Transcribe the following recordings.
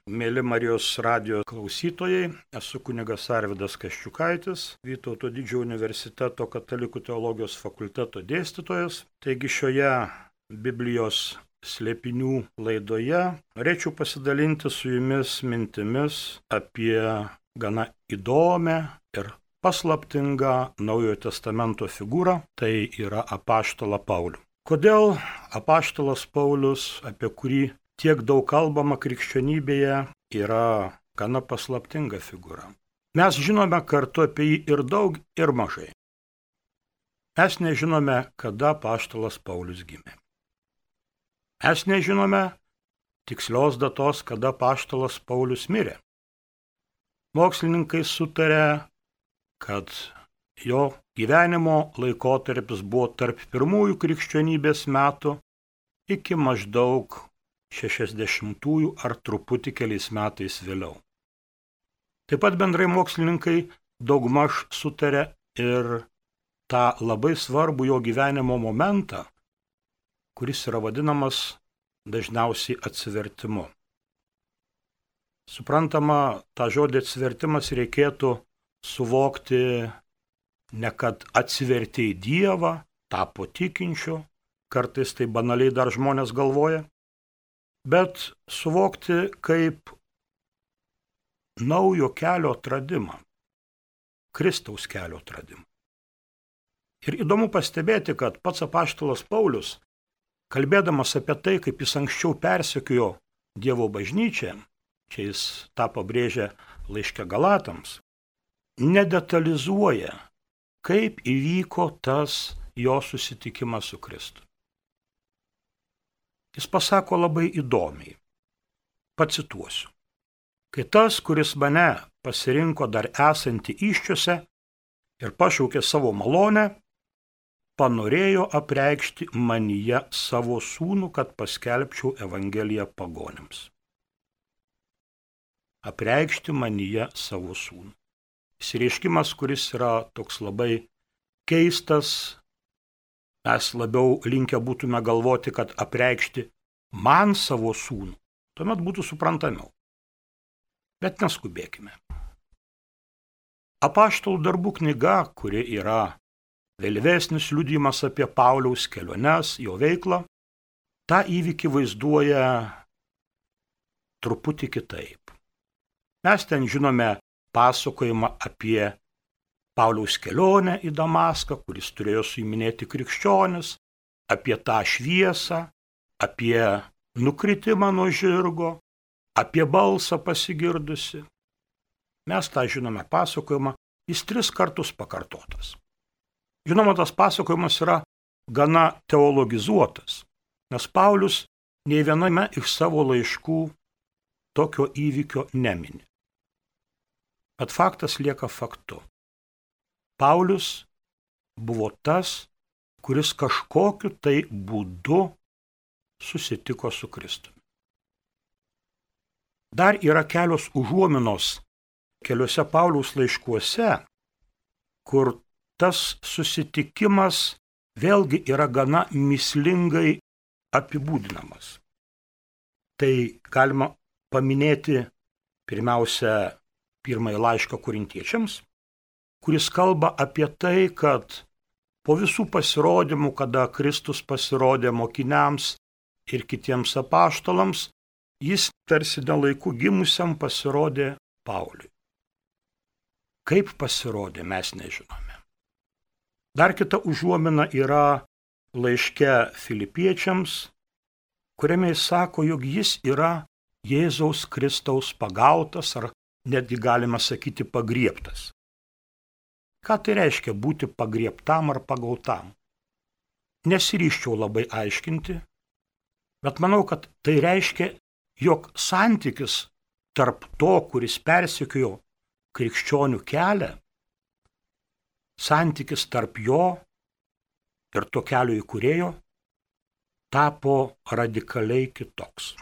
Mėly Marijos radijo klausytojai, esu kunigas Arvydas Kaščiukaitis, Vytauto Didžiojo universiteto katalikų teologijos fakulteto dėstytojas. Taigi šioje Biblijos slėpinių laidoje norėčiau pasidalinti su jumis mintimis apie gana įdomią ir paslaptingą Naujojo Testamento figūrą, tai yra apaštalą Paulių. Kodėl apaštalas Paulius, apie kurį tiek daug kalbama krikščionybėje, yra gana paslaptinga figūra? Mes žinome kartu apie jį ir daug, ir mažai. Mes nežinome, kada apaštalas Paulius gimė. Mes nežinome tikslios datos, kada apaštalas Paulius mirė. Mokslininkai sutarė, kad jo gyvenimo laikotarpis buvo tarp pirmųjų krikščionybės metų iki maždaug 60-ųjų ar truputį keliais metais vėliau. Taip pat bendrai mokslininkai daugmaž sutarė ir tą labai svarbų jo gyvenimo momentą, kuris yra vadinamas dažniausiai atsivertimu. Suprantama, tą žodį atsivertimas reikėtų suvokti ne kad atsivertė į Dievą, tapo tikinčiu, kartais tai banaliai dar žmonės galvoja, bet suvokti kaip naujo kelio atradimą, Kristaus kelio atradimą. Ir įdomu pastebėti, kad pats apaštalas Paulius, kalbėdamas apie tai, kaip jis anksčiau persekiojo Dievo bažnyčią, čia jis tą pabrėžia laiške Galatams, nedetalizuoja, kaip įvyko tas jo susitikimas su Kristu. Jis pasako labai įdomiai. Pacituosiu. Kai tas, kuris mane pasirinko dar esantį įsčiose ir pašaukė savo malonę, panorėjo apreikšti manyje savo sūnų, kad paskelbčiau Evangeliją pagonims. Apreikšti manyje savo sūnų. Išsireiškimas, kuris yra toks labai keistas, mes labiau linkę būtume galvoti, kad apreikšti man savo sūnų, tuomet būtų suprantamiau. Bet neskubėkime. Apaštalų darbų knyga, kuri yra vėlyvesnis liudijimas apie Pauliaus keliones, jo veiklą, tą įvykį vaizduoja truputį kitaip. Mes ten žinome pasakojimą apie Pauliaus kelionę į Damaską, kuris turėjo suiminėti krikščionis, apie tą šviesą, apie nukritimą nuo žirgo, apie balsą pasigirdusi. Mes tą žinome pasakojimą, jis 3 kartus pakartotas. Žinoma, tas pasakojimas yra gana teologizuotas, nes Paulius nei viename iš savo laiškų tokio įvykio nemini. Bet faktas lieka faktu. Paulius buvo tas, kuris kažkokiu tai būdu susitiko su Kristumi. Dar yra kelios užuominos keliuose Pauliaus laiškuose, kur tas susitikimas vėlgi yra gana mįslingai apibūdinamas. Tai galima paminėti pirmiausia pirmąjį laišką Korintiečiams, kuris kalba apie tai, kad po visų pasirodymų, kada Kristus pasirodė mokiniams ir kitiems apaštalams, jis tarsi nelaiku gimusiam pasirodė Pauliui. Kaip pasirodė, mes nežinome. Dar kita užuomina yra laiške Filipiečiams, kuriame jis sako, jog jis yra Jėzaus Kristaus pagautas, ar netgi galima sakyti pagriebtas. Ką tai reiškia būti pagriebtam ar pagautam? Nesiryščiau labai aiškinti, bet manau, kad tai reiškia, jog santykis tarp to, kuris persekiojo krikščionių kelią, santykis tarp jo ir to kelio įkūrėjo, tapo radikaliai kitoks.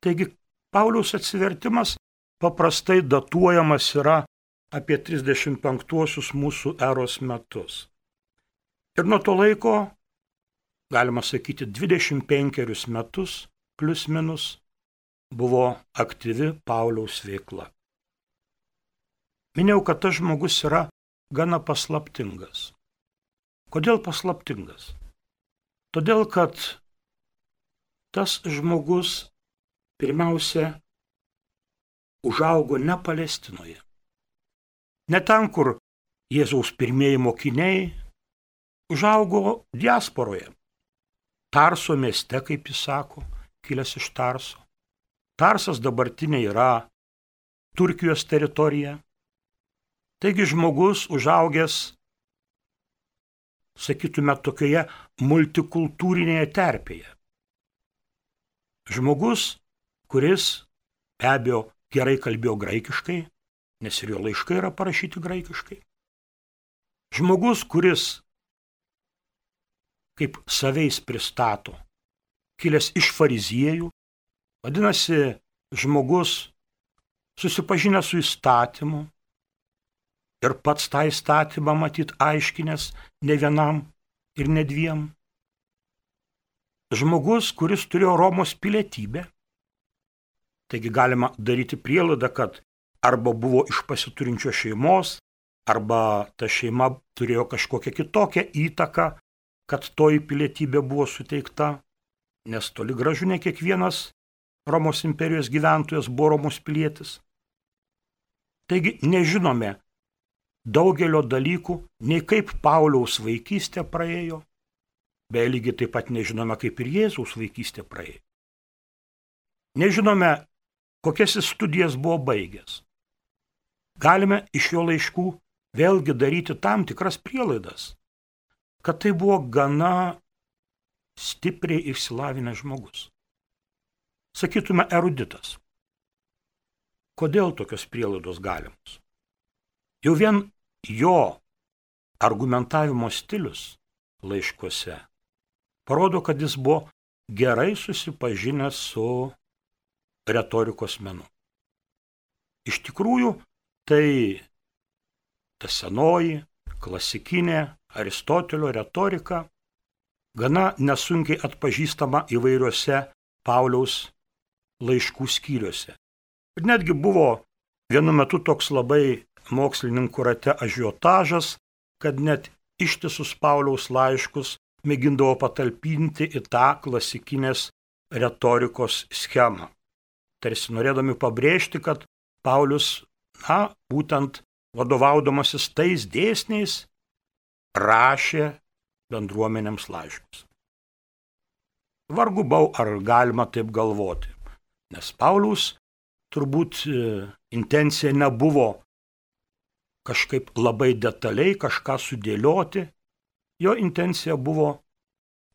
Taigi, Pauliaus atsivertimas paprastai datuojamas yra apie 35 mūsų eros metus. Ir nuo to laiko, galima sakyti, 25 metus, plius minus, buvo aktyvi Pauliaus veikla. Minėjau, kad tas žmogus yra gana paslaptingas. Kodėl paslaptingas? Todėl, kad tas žmogus pirmiausia užaugo ne Palestinoje. Ne ten, kur Jėzaus pirmieji mokiniai, užaugo diasporoje. Tarso mieste, kaip jis sako, kilęs iš Tarso. Tarsas dabartinė yra Turkijos teritorija. Taigi žmogus užaugęs, sakytume, tokioje multikultūrinėje terpėje. Žmogus, kuris be abejo gerai kalbėjo graikiškai, nes ir jo laiškai yra parašyti graikiškai. Žmogus, kuris, kaip saveis pristato, kilęs iš fariziejų, vadinasi, žmogus susipažinęs su įstatymu ir pats tą įstatymą matyt aiškinęs ne vienam ir ne dviem. Žmogus, kuris turėjo Romos pilietybę, taigi galima daryti prielaidą, kad arba buvo iš pasiturinčios šeimos, arba ta šeima turėjo kažkokią kitokią įtaką, kad toji pilietybė buvo suteikta, nes toli gražu ne kiekvienas Romos imperijos gyventojas buvo Romos pilietis. Taigi nežinome daugelio dalykų, nei kaip Pauliaus vaikystė praėjo, beje lygiai taip pat nežinome, kaip ir Jėzaus vaikystė praėjo. Nežinome, kokias jis studijas buvo baigęs. Galime iš jo laiškų vėlgi daryti tam tikras prielaidas, kad tai buvo gana stipriai išsilavinęs žmogus. Sakytume, eruditas. Kodėl tokios prielaidos galimos? Jau vien jo argumentavimo stilius laiškuose parodo, kad jis buvo gerai susipažinęs su retorikos menu. Iš tikrųjų, tai ta senoji, klasikinė Aristotelio retorika gana nesunkiai atpažįstama įvairiuose Pauliaus laiškų skyriuose. Ir netgi buvo vienu metu toks labai mokslininkų rate ažiotažas, kad net ištisus Pauliaus laiškus mėgindavo patalpinti į tą klasikinės retorikos schemą. Tarsi norėdami pabrėžti, kad Paulius, būtent vadovaudamasis tais dėsniais, rašė bendruomenėms laiškus. Vargu bau, ar galima taip galvoti, nes Pauliaus turbūt intencija nebuvo kažkaip labai detaliai kažką sudėlioti, jo intencija buvo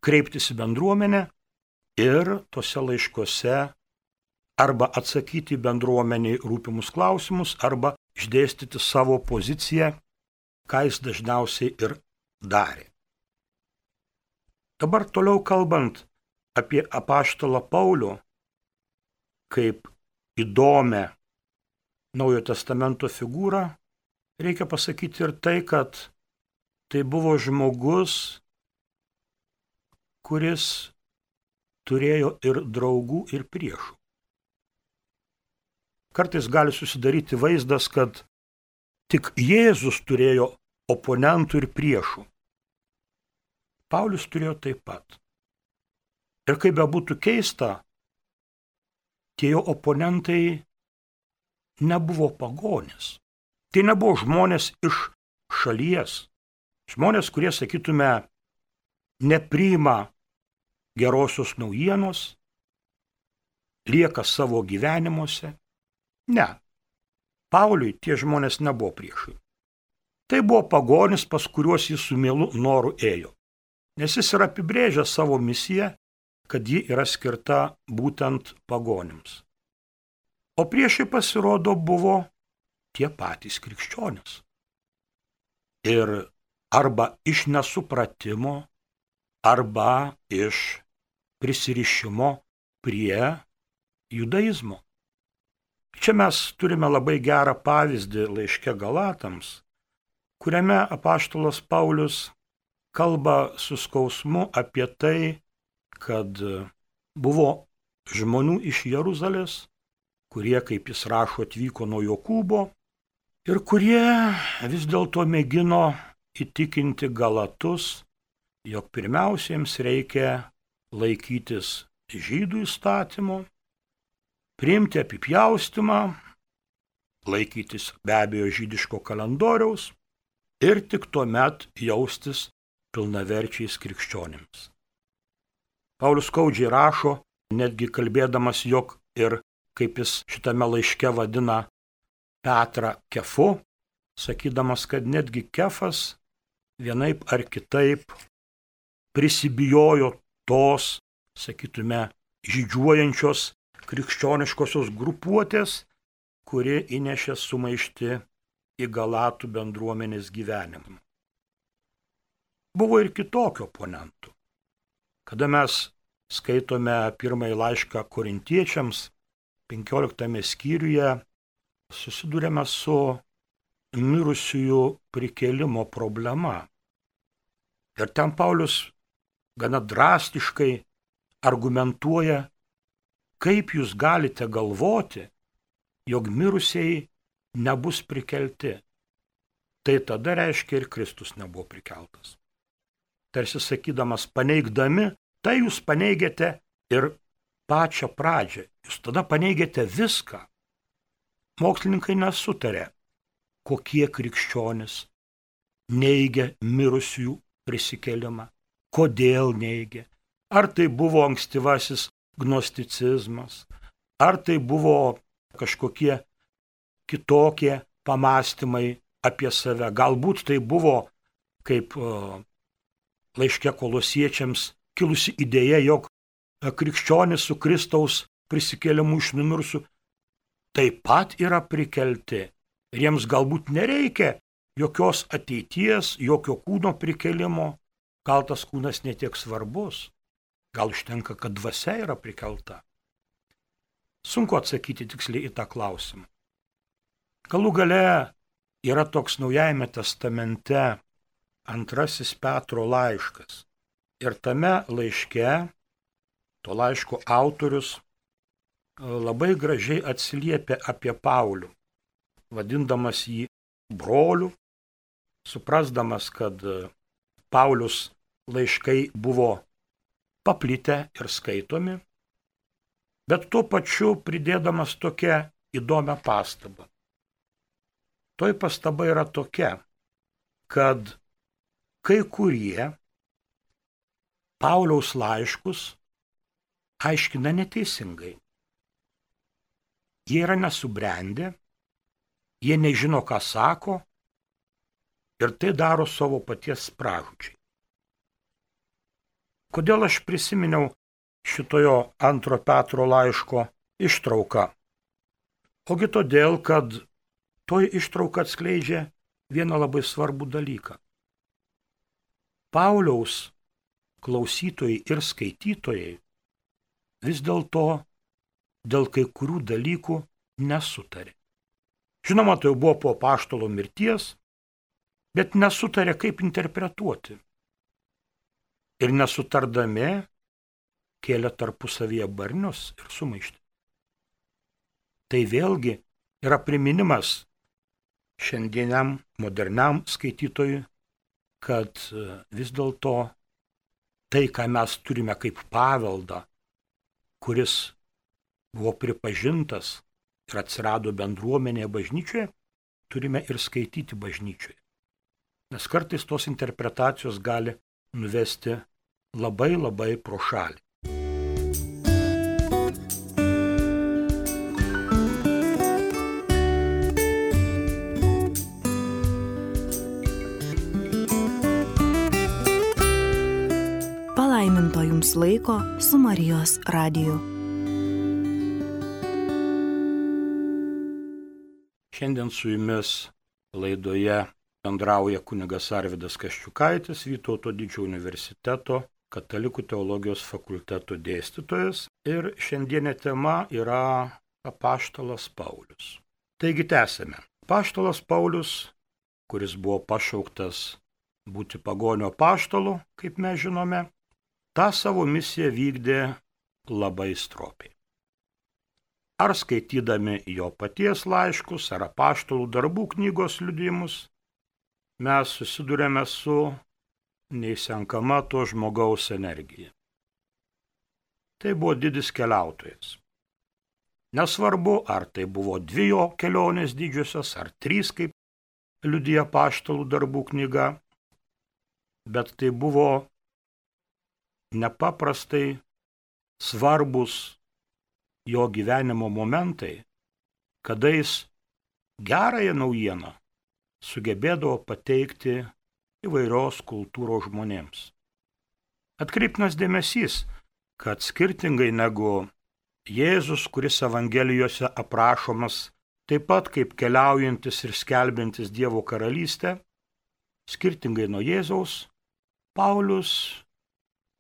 kreiptis į bendruomenę ir tose laiškuose arba atsakyti bendruomeniai rūpimus klausimus, arba išdėstyti savo poziciją, ką jis dažniausiai ir darė. Dabar toliau kalbant apie apaštalą Paulių, kaip įdomią Naujojo testamento figūrą, reikia pasakyti ir tai, kad tai buvo žmogus, kuris turėjo ir draugų, ir priešų. Kartais gali susidaryti vaizdas, kad tik Jėzus turėjo oponentų ir priešų. Paulius turėjo taip pat. Ir kaip bebūtų keista, tie jo oponentai nebuvo pagonys. Tai nebuvo žmonės iš šalies. Žmonės, kurie, sakytume, nepriima gerosios naujienos, lieka savo gyvenimuose. Ne. Pauliui tie žmonės nebuvo priešai. Tai buvo pagonis, pas kuriuos jis su mielu noru ėjo. Nes jis yra apibrėžęs savo misiją, kad ji yra skirta būtent pagonims. O priešai pasirodo buvo tie patys krikščionys. Ir arba iš nesupratimo, arba iš prisirišimo prie judaizmo. Čia mes turime labai gerą pavyzdį laiške Galatams, kuriame apaštalas Paulius kalba su skausmu apie tai, kad buvo žmonių iš Jeruzalės, kurie, kaip jis rašo, atvyko nuo Jokūbo ir kurie vis dėlto mėgino įtikinti Galatus, jog pirmiausia jiems reikia laikytis žydų įstatymo, priimti apipjaustymą, laikytis be abejo žydiško kalendoriaus ir tik tuomet jaustis pilnaverčiais krikščionims. Paulius skaudžiai rašo, netgi kalbėdamas, jog ir, kaip jis šitame laiške vadina Petrą Kefu, sakydamas, kad netgi Kefas vienaip ar kitaip prisibijojo tos, sakytume, žydžiuojančios krikščioniškosios grupuotės, kuri įnešė sumaištį į Galatų bendruomenės gyvenimą. Buvo ir kitokių oponentų. Kada mes skaitome pirmąjį laišką korintiečiams, 15 skyriuje, susidurėme su mirusiųjų prikėlimo problema. Ir ten Paulius gana drastiškai argumentuoja, kaip jūs galite galvoti, jog mirusieji nebus prikelti. Tai tada reiškia ir Kristus nebuvo prikeltas. Tarsi sakydamas, paneigdami, tai jūs paneigėte ir pačią pradžią. Jūs tada paneigėte viską. Mokslininkai nesutarė, kokie krikščionys neigia mirusiųjų prisikėlimą, kodėl neigia. Ar tai buvo ankstyvasis gnosticizmas, ar tai buvo kažkokie kitokie pamąstymai apie save. Galbūt tai buvo, kaip laiške Kolosiečiams, kilusi idėja, jog krikščionys su Kristaus prisikėlimu iš numirusių taip pat yra prikelti. Ir jiems galbūt nereikia jokios ateities, jokio kūno prikelimo. Gal tas kūnas netiek svarbus. Gal užtenka, kad dvasia yra prikelta. Sunku atsakyti tiksliai į tą klausimą. Galų gale yra toks Naujajame testamente 2 Petro laiškas. Ir tame laiške, to laiško autorius labai gražiai atsiliepia apie Paulių, vadindamas jį broliu, suprasdamas, kad Paulius laiškai buvo paplitę ir skaitomi, bet tuo pačiu pridėdamas tokią įdomią pastabą. Toj pastaba yra tokia, kad kai kurie Pauliaus laiškus aiškina neteisingai. Jie yra nesubrendę, jie nežino, ką sako ir tai daro savo paties pražūčiai. Kodėl aš prisiminiau šitojo 2 Petro laiško ištrauką? Ogi todėl, kad toj ištrauka atskleidžia vieną labai svarbų dalyką. Pauliaus klausytojai ir skaitytojai vis dėlto dėl kai kurių dalykų nesutarė. Žinoma, tai buvo po apaštalo mirties, bet nesutarė, kaip interpretuoti. Ir nesutardami kėlė tarpusavyje barnius ir sumaištį. Tai vėlgi yra priminimas šiandieniam moderniam skaitytojui, kad vis dėlto tai, ką mes turime kaip paveldą, kuris buvo pripažintas ir atsirado bendruomenėje bažnyčioje, turime ir skaityti bažnyčioje. Nes kartais tos interpretacijos gali nuvesti labai labai pro šalį. Palaiminto jums laiko su Marijos radiju. Šiandien su jumis laidoje bendrauja kunigas Arvydas Kaščiukaitis, Vytauto Didžiojo universiteto Katalikų teologijos fakulteto dėstytojas, ir šiandienė tema yra apaštalas Paulius. Taigi tęsime. Apaštalas Paulius, kuris buvo pašauktas būti pagonio apaštalu, kaip mes žinome, tą savo misiją vykdė labai stropiai. ar skaitydami jo paties laiškus, ar apaštalų darbų knygos liudijimus, mes susidurėme su neįsenkama to žmogaus energija. Tai buvo didis keliautojas. Nesvarbu, ar tai buvo 2 jo kelionės didžiosios, ar 3, kaip liudija apaštalų darbų knyga, bet tai buvo nepaprastai svarbus jo gyvenimo momentai, kada jis gerąją naujieną sugebėdavo pateikti įvairios kultūros žmonėms. Atkreiptinas dėmesys, kad skirtingai negu Jėzus, kuris Evangelijose aprašomas taip pat kaip keliaujantis ir skelbiantis Dievo karalystę, skirtingai nuo Jėzaus, Paulius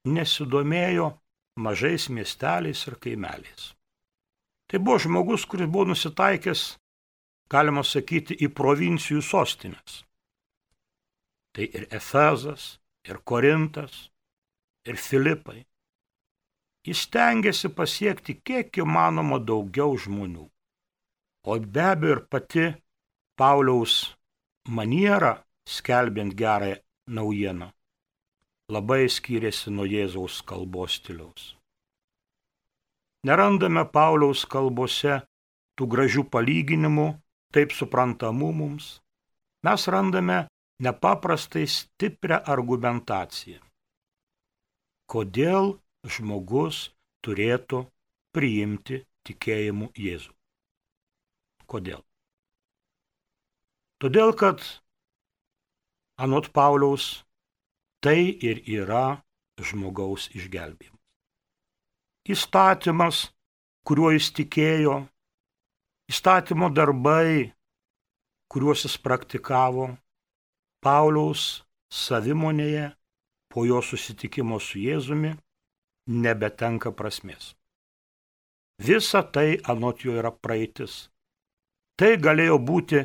nesidomėjo mažais miesteliais ir kaimeliais. Tai buvo žmogus, kuris buvo nusitaikęs, galima sakyti, į provincijų sostinės. Tai ir Efezas, ir Korintas, ir Filipai. Jis stengiasi pasiekti kiek įmanoma daugiau žmonių. O be abejo ir pati Pauliaus maniera, skelbiant gerąją naujieną, labai skyrėsi nuo Jėzaus kalbos stiliaus. Nerandame Pauliaus kalbose tų gražių palyginimų, taip suprantamų mums. Mes randame nepaprastai stiprią argumentaciją. Kodėl žmogus turėtų priimti tikėjimu Jėzų? Kodėl? Todėl, kad anot Pauliaus tai ir yra žmogaus išgelbėjimas. Įstatymas, kuriuo jis tikėjo, įstatymo darbai, kuriuos jis praktikavo, Pauliaus savimonėje po jo susitikimo su Jėzumi nebetenka prasmės. Visa tai anot jo yra praeitis. Tai galėjo būti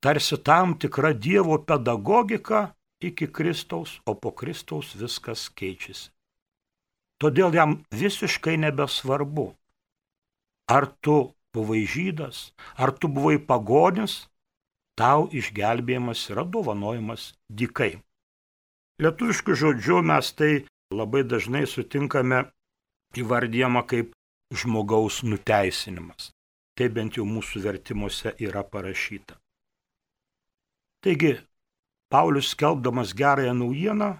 tarsi tam tikra Dievo pedagogika iki Kristaus, o po Kristaus viskas keičiasi. Todėl jam visiškai nebesvarbu, ar tu buvai žydas, ar tu buvai pagonis, tau išgelbėjimas yra dovanojimas dykai. Lietuvišku žodžiu mes tai labai dažnai sutinkame įvardyjama kaip žmogaus nuteisinimas. Tai bent jau mūsų vertimuose yra parašyta. Taigi, Paulius skelbdamas gerąją naujieną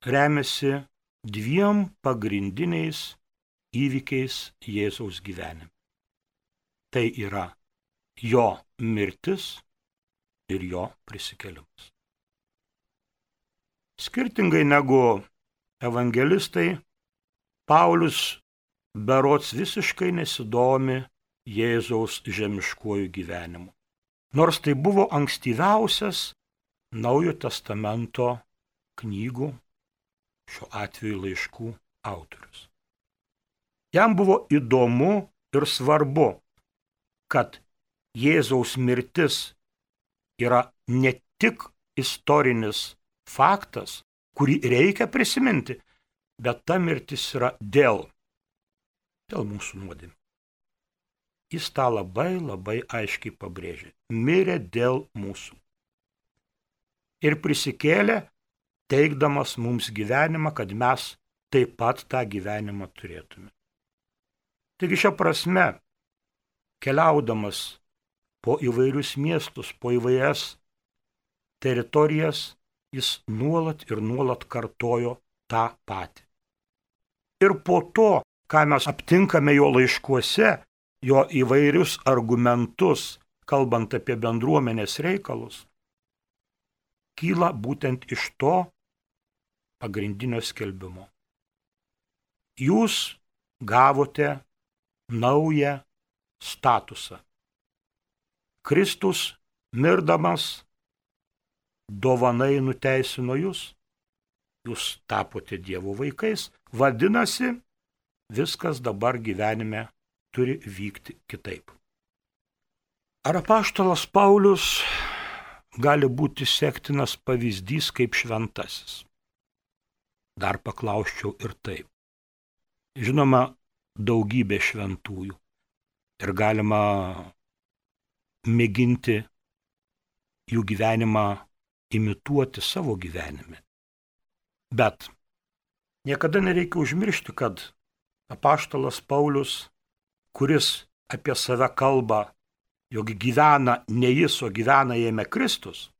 remiasi 2 pagrindiniais įvykiais Jėzaus gyvenime. Tai yra jo mirtis ir jo prisikėlimas. Skirtingai negu evangelistai, Paulius berods visiškai nesidomi Jėzaus žemiškuoju gyvenimu. Nors tai buvo ankstyviausias Naujojo testamento knygų, šiuo atveju laiškų autorius. Jam buvo įdomu ir svarbu, kad Jėzaus mirtis yra ne tik istorinis faktas, kurį reikia prisiminti, bet ta mirtis yra dėl mūsų nuodėmių. Jis tą labai aiškiai pabrėžė. Mirė dėl mūsų. Ir prisikėlė, teikdamas mums gyvenimą, kad mes taip pat tą gyvenimą turėtume. Taigi šia prasme, keliaudamas po įvairius miestus, po įvairias teritorijas, jis nuolat ir nuolat kartojo tą patį. Ir po to, ką mes aptinkame jo laiškuose, jo įvairius argumentus, kalbant apie bendruomenės reikalus, kyla būtent iš to pagrindinio skelbimo. Jūs gavote naują statusą. Kristus, mirdamas, dovanai nuteisino jūs, jūs tapote Dievo vaikais, vadinasi, viskas dabar gyvenime turi vykti kitaip. Ar apaštalas Paulius gali būti sektinas pavyzdys kaip šventasis? Dar paklausčiau ir taip. Žinoma, daugybė šventųjų. ir galima mėginti jų gyvenimą imituoti savo gyvenime. Bet niekada nereikia užmiršti, kad apaštalas Paulius, kuris apie save kalba, jog gyvena ne jis, o gyvena jame Kristus,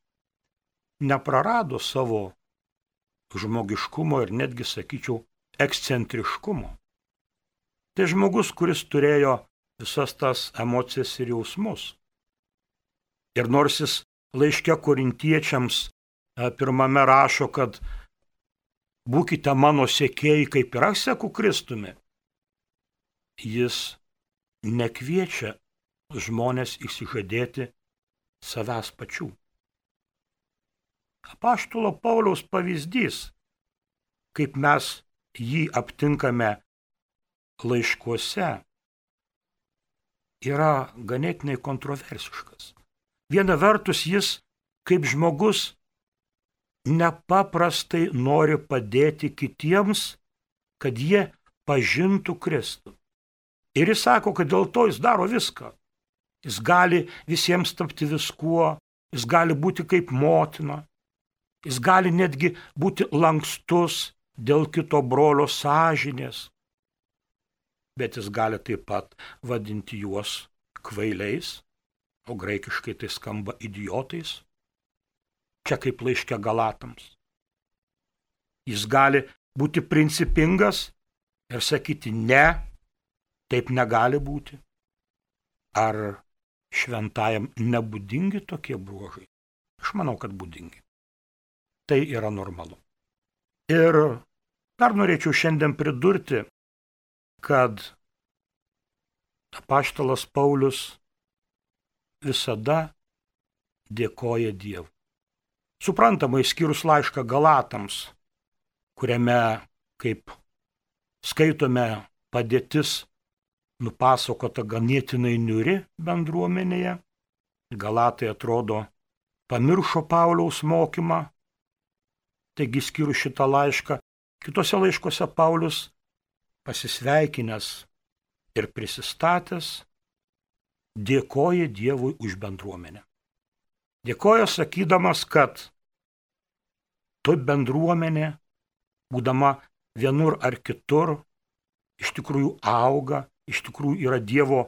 neprarado savo žmogiškumo ir netgi, sakyčiau, ekscentriškumo. Tai žmogus, kuris turėjo visas tas emocijas ir jausmus. Ir nors jis laiške korintiečiams pirmame rašo, kad būkite mano sekėjai, kaip ir aš seku Kristumi, jis nekviečia žmonės išsižadėti savęs pačių. Apaštalo Pauliaus pavyzdys, kaip mes jį aptinkame laiškuose, yra ganėtinai kontroversiškas. Viena vertus jis, kaip žmogus, nepaprastai nori padėti kitiems, kad jie pažintų Kristų. Ir jis sako, kad dėl to jis daro viską. Jis gali visiems tapti viskuo, jis gali būti kaip motina, jis gali netgi būti lankstus dėl kito brolio sąžinės, bet jis gali taip pat vadinti juos kvailiais, o graikiškai tai skamba idiotais, čia kaip laiške Galatams. Jis gali būti principingas ir sakyti ne, taip negali būti. Ar šventajam nebūdingi tokie bruožai? Aš manau, kad būdingi. Tai yra normalu. Ir dar norėčiau šiandien pridurti, kad apaštalas Paulius visada dėkoja Dievui. Suprantama, išskyrus laišką Galatams, kuriame, kaip skaitome, padėtis nupasakota ganėtinai niūri bendruomenėje. Galatai atrodo pamiršo Pauliaus mokymą, taigi skyrus šitą laišką, kitose laiškose Paulius pasisveikinęs ir prisistatęs dėkoja Dievui už bendruomenę. Dėkoja sakydamas, kad tu bendruomenė, būdama vienur ar kitur, iš tikrųjų auga, iš tikrųjų yra Dievo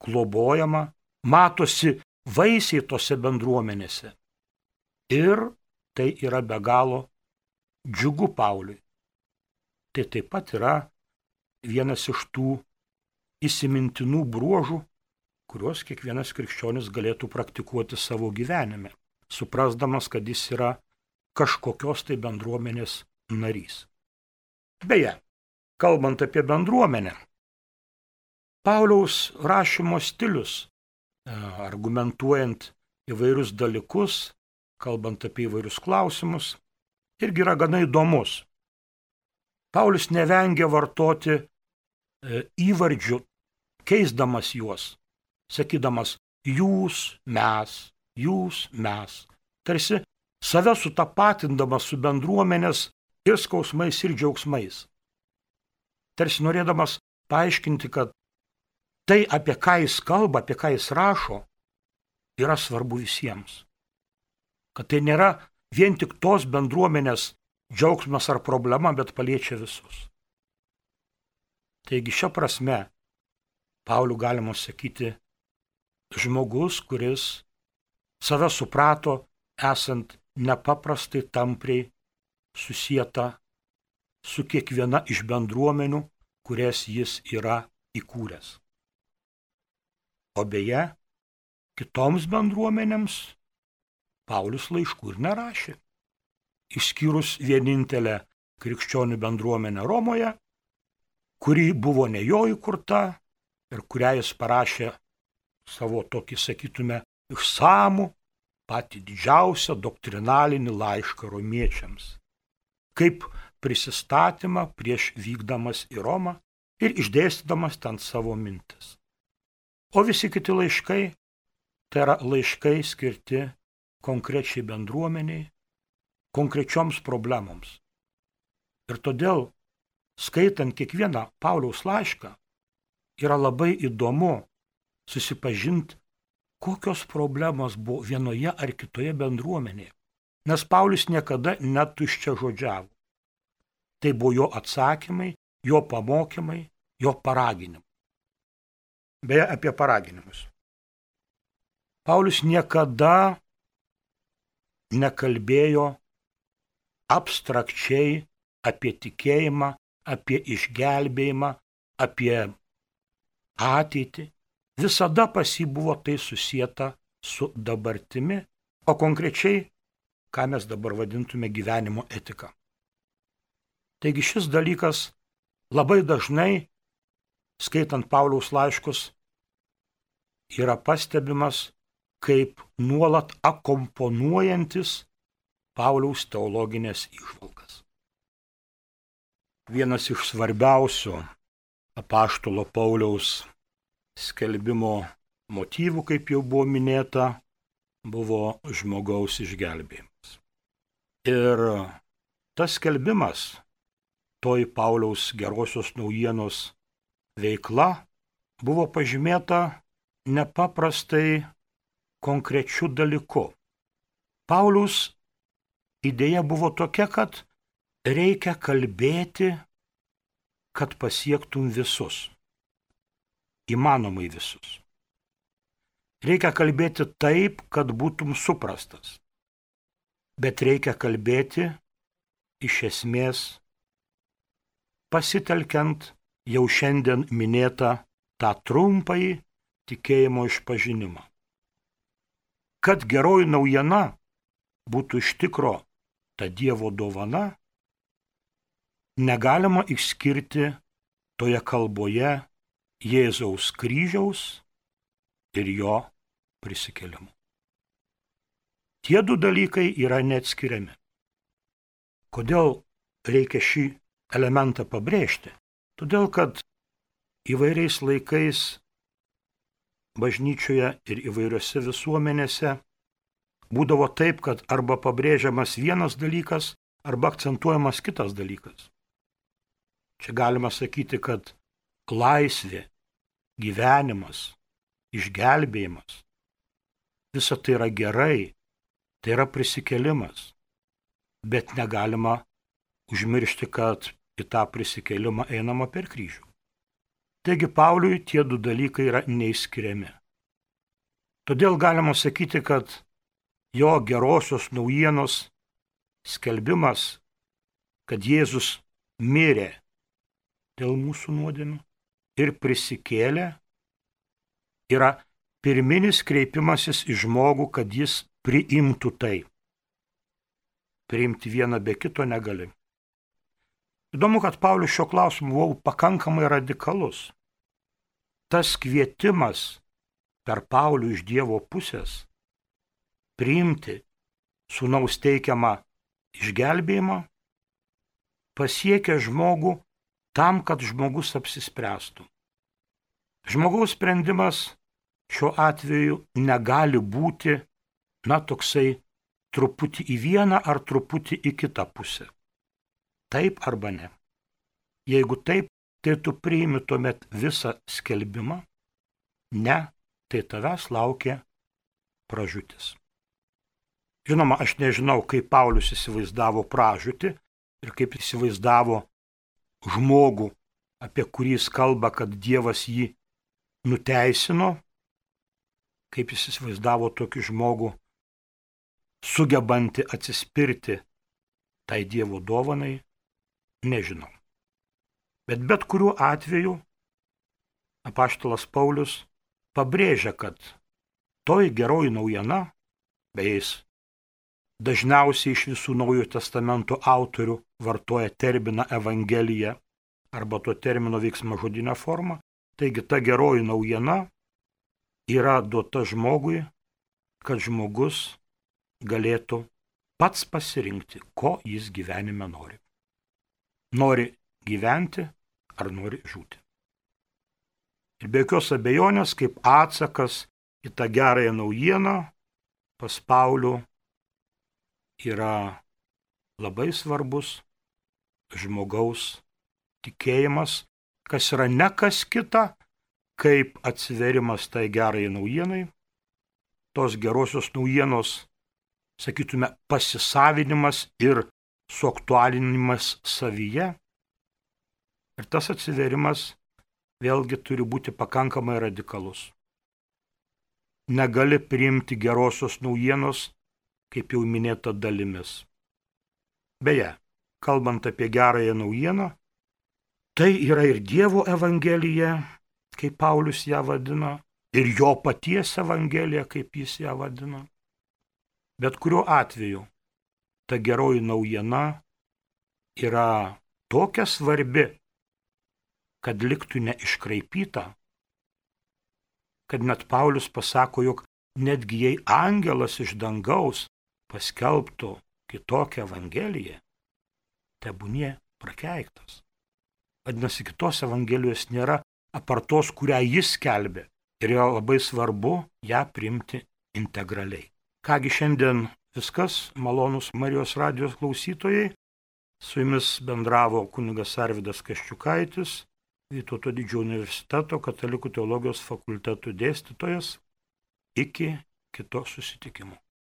globojama, matosi vaisiai tose bendruomenėse. Ir tai yra be galo džiugu Pauliui. Tai taip pat yra vienas iš tų įsimintinų bruožų, kuriuos kiekvienas krikščionis galėtų praktikuoti savo gyvenime, suprasdamas, kad jis yra kažkokios tai bendruomenės narys. Beje, kalbant apie bendruomenę, Pauliaus rašymo stilius, argumentuojant įvairius dalykus, kalbant apie įvairius klausimus, irgi yra gana įdomus. Paulius nevengia vartoti įvardžių, keisdamas juos, sakydamas jūs, mes, tarsi save sutapatindamas su bendruomenės ir skausmais ir džiaugsmais. Tarsi norėdamas paaiškinti, kad tai, apie ką jis kalba, apie ką jis rašo, yra svarbu visiems. Kad tai nėra vien tik tos bendruomenės džiaugsmas ar problema, bet paliečia visus. Taigi šia prasme Paulių galima sakyti žmogus, kuris save suprato esant nepaprastai tampriai susieta su kiekviena iš bendruomenių, kurias jis yra įkūręs. O beje, kitoms bendruomenėms Paulius laiškų ir nerašė, išskyrus vienintelę krikščionių bendruomenę Romoje, kuri buvo ne jo įkurta ir kurią jis parašė savo tokį, sakytume, išsamų, patį didžiausią doktrinalinį laišką romiečiams, kaip prisistatymą prieš vykdamas į Romą ir išdėstydamas ten savo mintis. O visi kiti laiškai, tai yra laiškai skirti konkrečiai bendruomeniai, konkrečioms problemoms. Ir todėl, skaitant kiekvieną Pauliaus laišką, yra labai įdomu susipažinti, kokios problemos buvo vienoje ar kitoje bendruomenėje. Nes Paulius niekada netuščia žodžiavo. Tai buvo jo atsakymai, jo pamokymai, jo paraginimai. Beje, apie paraginimus. Paulius niekada nekalbėjo abstrakčiai apie tikėjimą, apie išgelbėjimą, apie ateitį. Visada pas jį buvo tai susieta su dabartimi, o konkrečiai, ką mes dabar vadintume gyvenimo etika. Taigi šis dalykas labai dažnai, skaitant Pauliaus laiškus, yra pastebimas kaip nuolat akomponuojantis Pauliaus teologinės įžvalgas. Vienas iš svarbiausių apaštalo Pauliaus skelbimo motyvų, kaip jau buvo minėta, buvo žmogaus išgelbėjimas. Ir tas skelbimas, toj Pauliaus gerosios naujienos veikla, buvo pažymėta nepaprastai konkrečiu dalyku. Pauliaus idėja buvo tokia, kad reikia kalbėti, kad pasiektum visus. Įmanomai visus. Reikia kalbėti taip, kad būtum suprastas. Bet reikia kalbėti iš esmės pasitelkiant jau šiandien minėtą tą trumpąjį tikėjimo išpažinimą. Kad geroji naujiena būtų iš tikro ta Dievo dovana, negalima išskirti toje kalboje Jėzaus kryžiaus ir jo prisikėlimo. Tie du dalykai yra neatskiriami. Kodėl reikia šį elementą pabrėžti? Todėl, kad įvairiais laikais bažnyčioje ir įvairiose visuomenėse būdavo taip, kad arba pabrėžiamas vienas dalykas, arba akcentuojamas kitas dalykas. Čia galima sakyti, kad laisvė, gyvenimas, išgelbėjimas, visa tai yra gerai, tai yra prisikėlimas, bet negalima užmiršti, kad į tą prisikėlimą einama per kryžių. Taigi Pauliui tie du dalykai yra neišskiriami. Todėl galima sakyti, kad jo gerosios naujienos skelbimas, kad Jėzus mirė dėl mūsų nuodėmių ir prisikėlė, yra pirminis kreipimasis į žmogų, kad jis priimtų tai. Priimti vieną be kito negali. Įdomu, kad Paulius šio klausimu buvo pakankamai radikalus. Tas kvietimas per Paulių iš Dievo pusės priimti sūnaus teikiamą išgelbėjimą pasiekia žmogų tam, kad žmogus apsispręstų. Žmogaus sprendimas šiuo atveju negali būti, toksai truputį į vieną ar truputį į kitą pusę. Taip arba ne. Jeigu taip, tai tu priimi tuomet visą skelbimą. Ne, tai tavęs laukia pražūtis. Žinoma, aš nežinau, kaip Paulius įsivaizdavo pražūtį ir kaip įsivaizdavo žmogų, apie kurį jis kalba, kad Dievas jį nuteisino, kaip jis įsivaizdavo tokį žmogų, sugebantį atsispirti tai Dievo dovanai, nežinau. Bet kuriuo atveju apaštalas Paulius pabrėžia, kad toji geroji naujiena, beje, jis dažniausiai iš visų Naujojo Testamento autorių vartoja terminą Evangelija arba to termino veiksmažodinę formą. Taigi ta geroji naujiena yra duota žmogui, kad žmogus galėtų pats pasirinkti, ko jis gyvenime nori. Nori gyventi ar nori žūti. Ir be jokios abejonės, kaip atsakas į tą gerąją naujieną, pas Paulių yra labai svarbus žmogaus tikėjimas, kas yra ne kas kita, kaip atsiverimas tai gerai naujienai, tos gerosios naujienos, sakytume, pasisavinimas ir suaktualinimas savyje. Ir tas atsiverimas vėlgi turi būti pakankamai radikalus. Negali priimti gerosios naujienos, kaip jau minėta, dalimis. Beje, kalbant apie gerąją naujieną, tai yra ir Dievo evangelija, kaip Paulius ją vadina, ir jo paties evangelija, kaip jis ją vadina. Bet kuriuo atveju ta geroji naujiena yra tokia svarbi, kad liktų neiškraipyta, kad net Paulius pasako, jog netgi jei angelas iš dangaus paskelbtų kitokią evangeliją, tebūnie prakeiktas. Vadinasi, kitos evangelijos nėra apart tos, kurią jis skelbė, ir yra labai svarbu ją priimti integraliai. Kągi šiandien viskas, malonūs Marijos radijos klausytojai, su jumis bendravo kunigas Arvydas Kaščiukaitis, Vytauto Didžiojo universiteto Katalikų teologijos fakulteto dėstytojas. Iki kito susitikimo.